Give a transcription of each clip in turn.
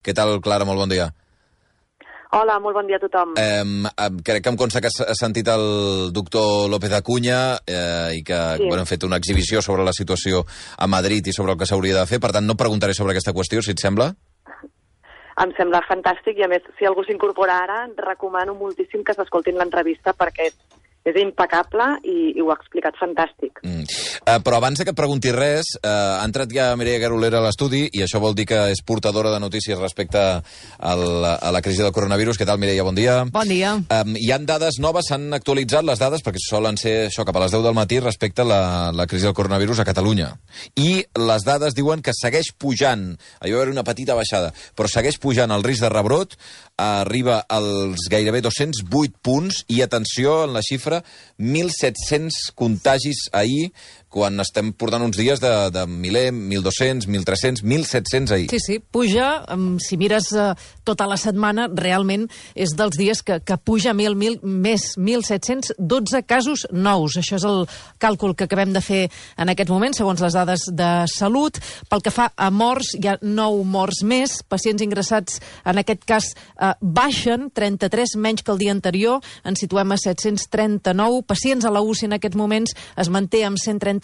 Què tal, Clara? Molt bon dia. Hola, molt bon dia a tothom. Crec que em consta que has sentit el doctor López Acuña i que hem fet una exhibició sobre la situació a Madrid i sobre el que s'hauria de fer. Per tant, no preguntaré sobre aquesta qüestió, si et sembla. Em sembla fantàstic i, a més, si algú s'incorpora ara, recomano moltíssim que s'escoltin l'entrevista perquè és impecable i ho ha explicat fantàstic. Però abans que et pregunti res, ha entrat ja Mireia Garolera a l'estudi i això vol dir que és portadora de notícies respecte a la crisi del coronavirus. Què tal, Mireia? Bon dia. Bon dia. Hi han dades noves, s'han actualitzat les dades, perquè solen ser això cap a les 10 del matí respecte a la crisi del coronavirus a Catalunya. I les dades diuen que segueix pujant, hi va haver una petita baixada, però segueix pujant el risc de rebrot, arriba als gairebé 208 punts i, atenció, en la xifra, 1.700 contagis ahir, quan estem portant uns dies de 1.000, 1.200, 1.300, 1.700 ahir. Sí, puja, si mires tota la setmana, realment és dels dies que puja 1.000, més 1.712 casos nous. Això és el càlcul que acabem de fer en aquests moments, segons les dades de salut. Pel que fa a morts, hi ha 9 morts més. Pacients ingressats, en aquest cas, baixen, 33 menys que el dia anterior. Ens situem a 739. Pacients a la UCI en aquests moments es manté amb 137.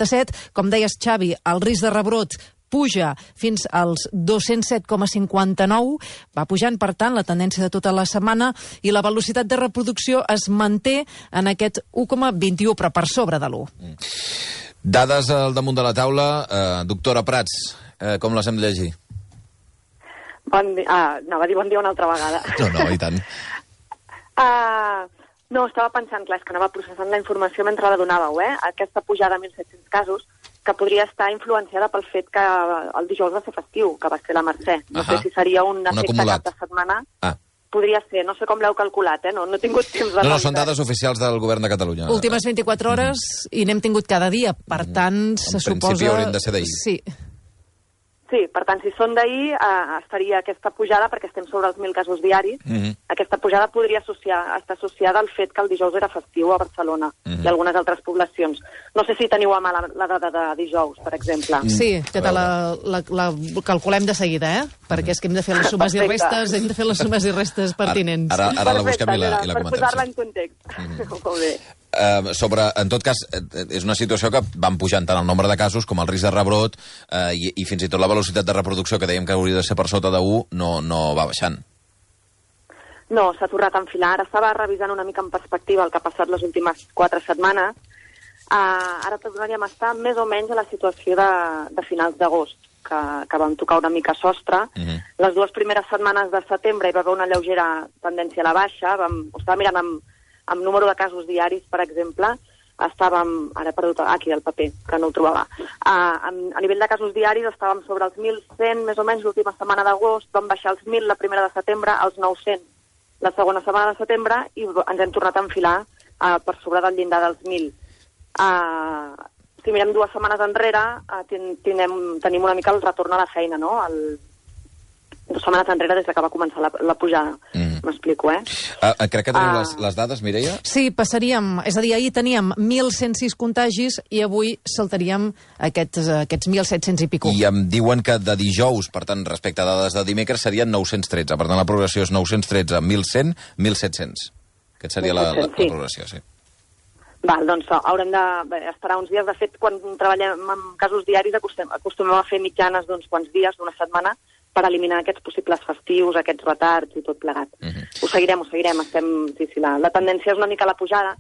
Com deies, Xavi, el risc de rebrot puja fins als 207,59, va pujant, per tant, la tendència de tota la setmana, i la velocitat de reproducció es manté en aquest 1,21, però per sobre de l'1. Dades al damunt de la taula. Doctora Prats, com les hem de llegir? Bon dia. Anava a dir bon dia una altra vegada. No, i tant. No, estava pensant, clar, és que anava processant la informació mentre la donàveu, Aquesta pujada a 1.700 casos, que podria estar influenciada pel fet que el dijous va ser festiu, que va ser la Mercè. No sé si seria un efecte cap de setmana. Podria ser, no sé com l'heu calculat, no he tingut temps de... No, són dades oficials del govern de Catalunya. Últimes 24 hores i n'hem tingut cada dia, per tant, se suposa... En principi haurien de ser d'ahir. Sí, per tant, si són d'ahir, estaria aquesta pujada, perquè estem sobre els 1.000 casos diaris, aquesta pujada podria estar associada al fet que el dijous era festiu a Barcelona i algunes altres poblacions. No sé si teniu a mà la dada de dijous, per exemple. Sí, que la calculem de seguida, perquè és que hem de fer les sumes i restes, pertinents. Ara la busquem i la comentem. Per posar-la en context. Molt bé. En tot cas, és una situació que van pujant tant el nombre de casos com el risc de rebrot i fins i tot la velocitat de reproducció, que dèiem que hauria de ser per sota de 1, no va baixant. No, s'ha tornat a enfilar. Ara estava revisant una mica en perspectiva el que ha passat les últimes 4 setmanes. Ara tornaríem a estar més o menys a la situació de finals d'agost, que vam tocar una mica sostre. Les 2 primeres setmanes de setembre hi va haver una lleugera tendència a la baixa. Ho estava mirant amb número de casos diaris, per exemple, estàvem... Ara he perdut aquí el paper, que no ho trobava. A nivell de casos diaris estàvem sobre els 1.100, més o menys, l'última setmana d'agost, vam baixar els 1.000 la primera de setembre, als 900 la segona setmana de setembre, i ens hem tornat a enfilar per sobre del llindar dels 1.000. Si mirem 2 setmanes enrere, tenim una mica el retorn a la feina, no? 2 setmanes enrere des que va començar la pujada. M'explico, Crec que teniu les dades, Mireia? Sí, passaríem... És a dir, ahir teníem 1.106 contagis i avui saltaríem aquests 1.700 i pico. I em diuen que de dijous, per tant, respecte a dades de dimecres, serien 913. Per tant, la progressió és 913, 1.100, 1.700. Aquesta seria la progressió, sí. Val, doncs haurem d'esperar uns dies. De fet, quan treballem amb casos diaris acostumem a fer mitjanes d'uns quants dies, d'una setmana, per eliminar aquests possibles festius, aquests retards i tot plegat. Ho seguirem. La tendència és una mica la pujada.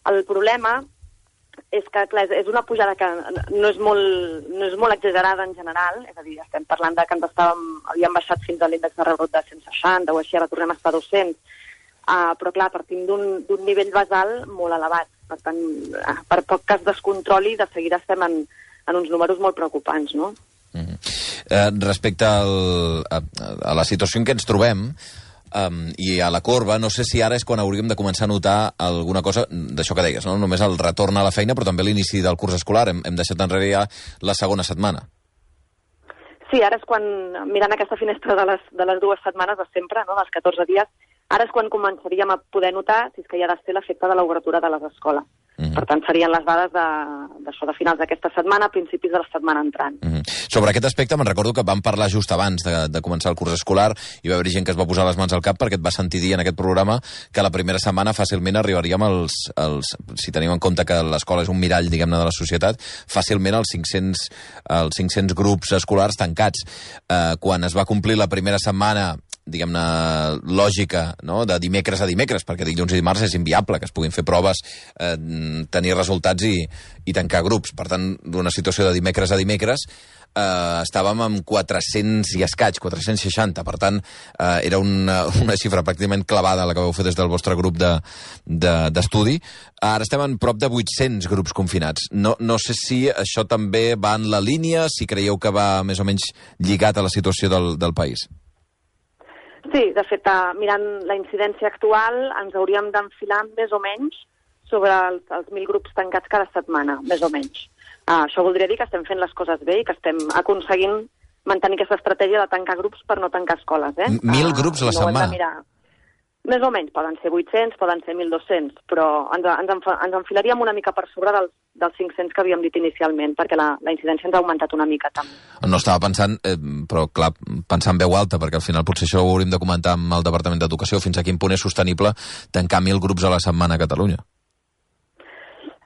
El problema és que, clar, és una pujada que no és molt exagerada en general, és a dir, estem parlant de que havíem baixat fins a l'índex de rebrot de 160 o així, ara tornem a estar a 200, però clar, partim d'un nivell basal molt elevat. Per tant, per poc que es descontroli, de seguida estem en uns números molt preocupants, no? Respecte a la situació en què ens trobem i a la corba, no sé si ara és quan hauríem de començar a notar alguna cosa d'això que deies, no? Només el retorn a la feina, però també l'inici del curs escolar. Hem deixat enrere ja la segona setmana. Sí, ara és quan, mirant aquesta finestra de les 2 setmanes de sempre, no? Dels 14 dies, ara és quan començaríem a poder notar si és que hi ha de ser l'efecte de l'obertura de les escoles. Per tant, serien les dades d'això, de finals d'aquesta setmana, principis de la setmana entrant. Sobre aquest aspecte, me'n recordo que vam parlar just abans de començar el curs escolar i va haver gent que es va posar les mans al cap perquè et va sentir dir en aquest programa que la primera setmana fàcilment arribaríem si tenim en compte que l'escola és un mirall, diguem-ne, de la societat, fàcilment els 500 grups escolars tancats. Quan es va complir la primera setmana, diguem-ne, lògica, no?, de dimecres a dimecres, perquè dilluns i dimarts és inviable que es puguin fer proves, tenir resultats i tancar grups. Per tant, d'una situació de dimecres a dimecres, estàvem amb 400 i escaig, 460. Per tant, era una xifra pràcticament clavada, la que vau fer des del vostre grup d'estudi. Ara estem en prop de 800 grups confinats. No sé si això també va en la línia, si creieu que va més o menys lligat a la situació del país. Sí, de fet, mirant la incidència actual, ens hauríem d'enfilar més o menys sobre els 1.000 grups tancats cada setmana, més o menys. Això voldria dir que estem fent les coses bé i que estem aconseguint mantenir aquesta estratègia de tancar grups per no tancar escoles. 1.000 grups a la setmana? Més o menys, poden ser 800, poden ser 1.200, però ens enfilaríem una mica per sobre dels 500 que havíem dit inicialment, perquè la incidència ens ha augmentat una mica també. No estava pensant, però clar, pensar en veu alta, perquè al final potser això ho hauríem de comentar amb el Departament d'Educació, fins a quin punt és sostenible tancar 1.000 grups a la setmana a Catalunya.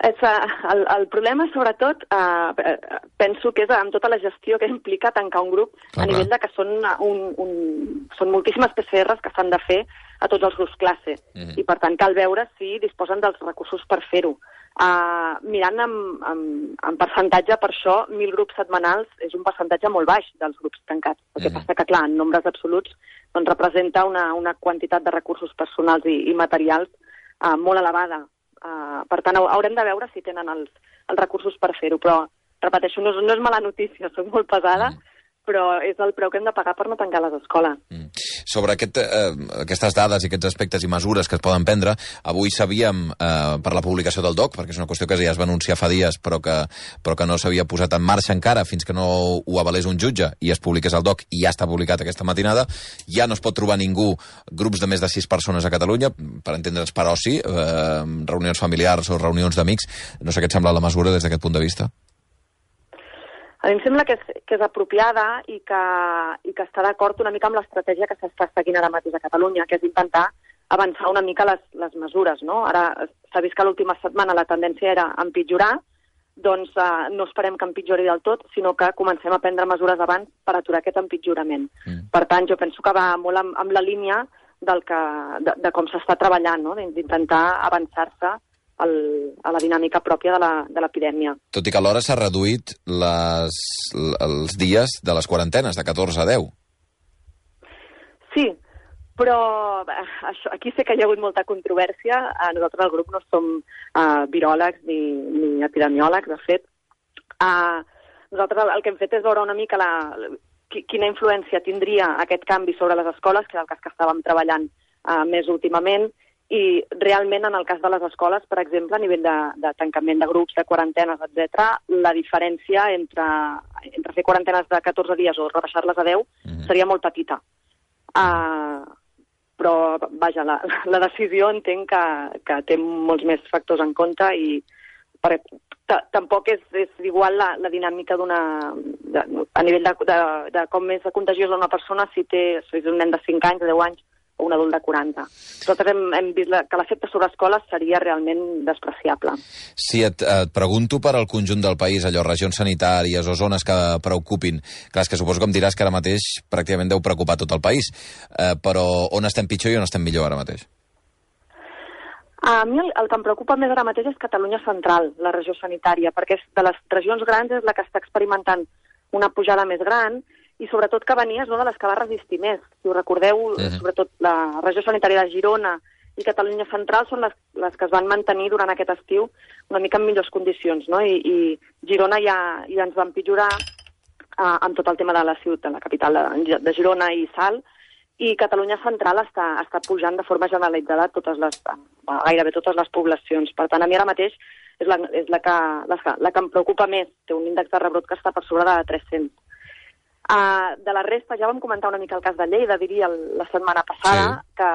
El problema, sobretot, penso que és amb tota la gestió que implica tancar un grup, a nivell de que són moltíssimes PCRs que s'han de fer a tots els grups classe, i per tant cal veure si disposen dels recursos per fer-ho. Mirant en percentatge, per això 1.000 grups setmanals és un percentatge molt baix dels grups tancats. El que passa que, clar, en nombres absoluts doncs representa una quantitat de recursos personals i materials molt elevada. Per tant, haurem de veure si tenen els recursos per fer-ho, però, repeteixo, no és mala notícia, soc molt pesada, però és el preu que hem de pagar per no tancar les escoles. Sobre aquestes dades i aquests aspectes i mesures que es poden prendre, avui sabíem, per la publicació del DOC, perquè és una qüestió que ja es va anunciar fa dies, però que no s'havia posat en marxa encara fins que no ho avalés un jutge i es publiqués al DOC, i ja està publicat aquesta matinada, ja no es pot trobar ningú grups de més de 6 persones a Catalunya, per entendre'ns per oci, reunions familiars o reunions d'amics. No sé què et sembla la mesura des d'aquest punt de vista? A mi em sembla que és apropiada i que està d'acord una mica amb l'estratègia que s'està seguint ara mateix a Catalunya, que és intentar avançar una mica les mesures, no? Ara s'ha vist que l'última setmana la tendència era empitjorar, doncs no esperem que empitjori del tot, sinó que comencem a prendre mesures abans per aturar aquest empitjorament. Per tant, jo penso que va molt amb la línia de com s'està treballant, no? D'intentar avançar-se a la dinàmica pròpia de l'epidèmia. Tot i que alhora s'ha reduït els dies de les quarantenes, de 14 a 10. Sí, però aquí sé que hi ha hagut molta controvèrsia. Nosaltres al grup no som viròlegs ni epidemiòlegs, de fet. Nosaltres el que hem fet és veure una mica quina influència tindria aquest canvi sobre les escoles, que és el cas que estàvem treballant més últimament, i realment en el cas de les escoles, per exemple, a nivell de tancament de grups, de quarantenes, etc., la diferència entre fer quarantenes de 14 dies o rebaixar-les a 10 seria molt petita. Però, vaja, la decisió entenc que té molts més factors en compte i tampoc és igual la dinàmica a nivell de com és contagiosa una persona si és un nen de 5 anys, de 10 anys, o un adult de 40. Nosaltres hem vist que l'efecte sobre escoles seria realment despreciable. Si et pregunto per al conjunt del país, allò, regions sanitàries o zones que preocupin, clar, és que suposo que em diràs que ara mateix pràcticament deu preocupar tot el país, però on estem pitjor i on estem millor ara mateix? A mi el que em preocupa més ara mateix és Catalunya Central, la regió sanitària, perquè de les regions grans és la que està experimentant una pujada més gran, i sobretot que venia és una de les que va resistir més. Si ho recordeu, sobretot la regió sanitària de Girona i Catalunya Central són les que es van mantenir durant aquest estiu una mica en millors condicions, no? I Girona ja ens va empitjorar amb tot el tema de la ciutat, la capital de Girona i Salt, i Catalunya Central està pujant de forma generalitzada gairebé totes les poblacions. Per tant, a mi ara mateix és la que em preocupa més. Té un índex de rebrot que està per sobre de 300. De la resta, ja vam comentar una mica el cas de Lleida, diria, la setmana passada, que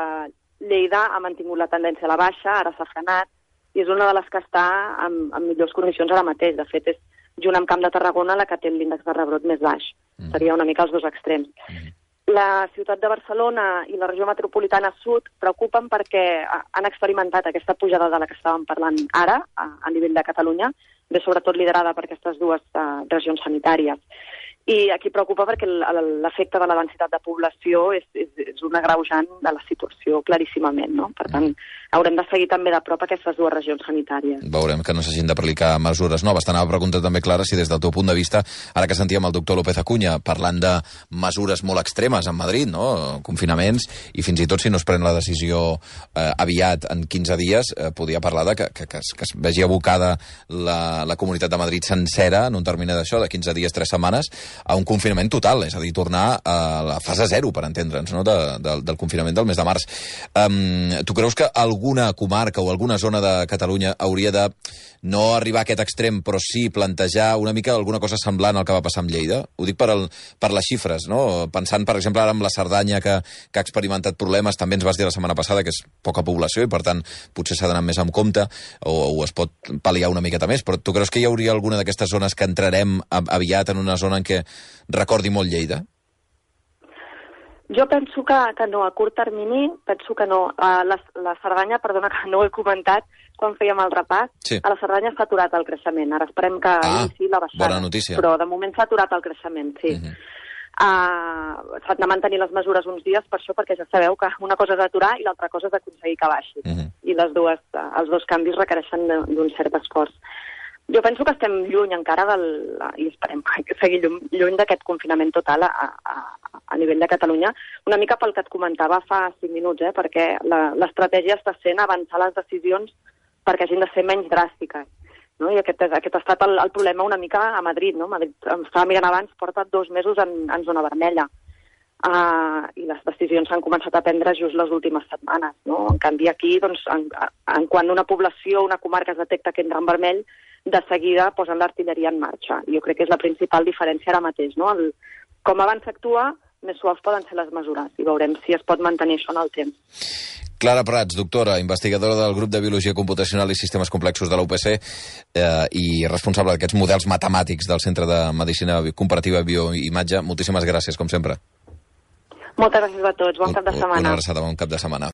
Lleida ha mantingut la tendència a la baixa, ara s'ha frenat, i és una de les que està en millors condicions ara mateix. De fet, és junt amb Camp de Tarragona la que té l'índex de rebrot més baix. Seria una mica els dos extrems. La ciutat de Barcelona i la regió metropolitana sud preocupen perquè han experimentat aquesta pujada de la que estàvem parlant ara, a nivell de Catalunya, ve sobretot liderada per aquestes dues regions sanitàries. I aquí preocupa perquè l'efecte de la densitat de població és un agreujant de la situació claríssimament, no? Per tant, haurem de seguir també de prop aquestes dues regions sanitàries. Veurem que no s'hagin d'aplicar mesures noves. T'anava a preguntar també, Clara, si des del teu punt de vista, ara que sentíem el doctor López Acuña parlant de mesures molt extremes en Madrid, no? Confinaments, i fins i tot si no es pren la decisió aviat, en 15 dies, podia parlar de que es vegi abocada la Comunitat de Madrid sencera en un termini d'això, de 15 dies, 3 setmanes, a un confinament total, és a dir, tornar a la fase 0, per entendre'ns, no? del confinament del mes de març. Tu creus que alguna comarca o alguna zona de Catalunya hauria de no arribar a aquest extrem, però sí plantejar una mica alguna cosa semblant al que va passar amb Lleida? Ho dic per les xifres, no? Pensant, per exemple, ara amb la Cerdanya, que ha experimentat problemes, també ens vas dir la setmana passada que és poca població i, per tant, potser s'ha d'anar més amb compte o es pot pal·liar una miqueta més, però tu creus que hi hauria alguna d'aquestes zones que entrarem aviat en una zona en què recordi molt Lleida? Jo penso que no, a curt termini, penso que no. La Cerdanya, perdona que no ho he comentat quan fèiem el repàs, sí. A la Cerdanya s'ha aturat el creixement. Ara esperem que inici la baixada. Bona notícia. Però de moment s'ha aturat el creixement, sí. S'han de mantenir les mesures uns dies per això, perquè ja sabeu que una cosa és aturar i l'altra cosa és aconseguir que baixi. I els dos canvis requereixen d'un cert esforç. Jo penso que estem lluny encara i esperem seguir lluny d'aquest confinament total a nivell de Catalunya, una mica pel que et comentava fa 5 minuts, perquè l'estratègia està sent avançar les decisions perquè hagin de ser menys dràstiques. No? I aquest ha estat el problema una mica a Madrid. No? Madrid, estava mirant abans, porta 2 mesos en zona vermella. I les decisions s'han començat a prendre just les últimes setmanes. No? En canvi, aquí, doncs, en quan una població, una comarca es detecta que entra en vermell, de seguida posen l'artilleria en marxa. Jo crec que és la principal diferència ara mateix. No? Com abans s'actua, més suaus poden ser les mesures i veurem si es pot mantenir això en el temps. Clara Prats, doctora, investigadora del grup de Biologia Computacional i Sistemes Complexos de la UPC i responsable d'aquests models matemàtics del Centre de Medicina Comparativa i Bioimatge. Moltíssimes gràcies, com sempre. Moltes gràcies a tots. Bon cap de setmana. Una abraçada, bon cap de setmana.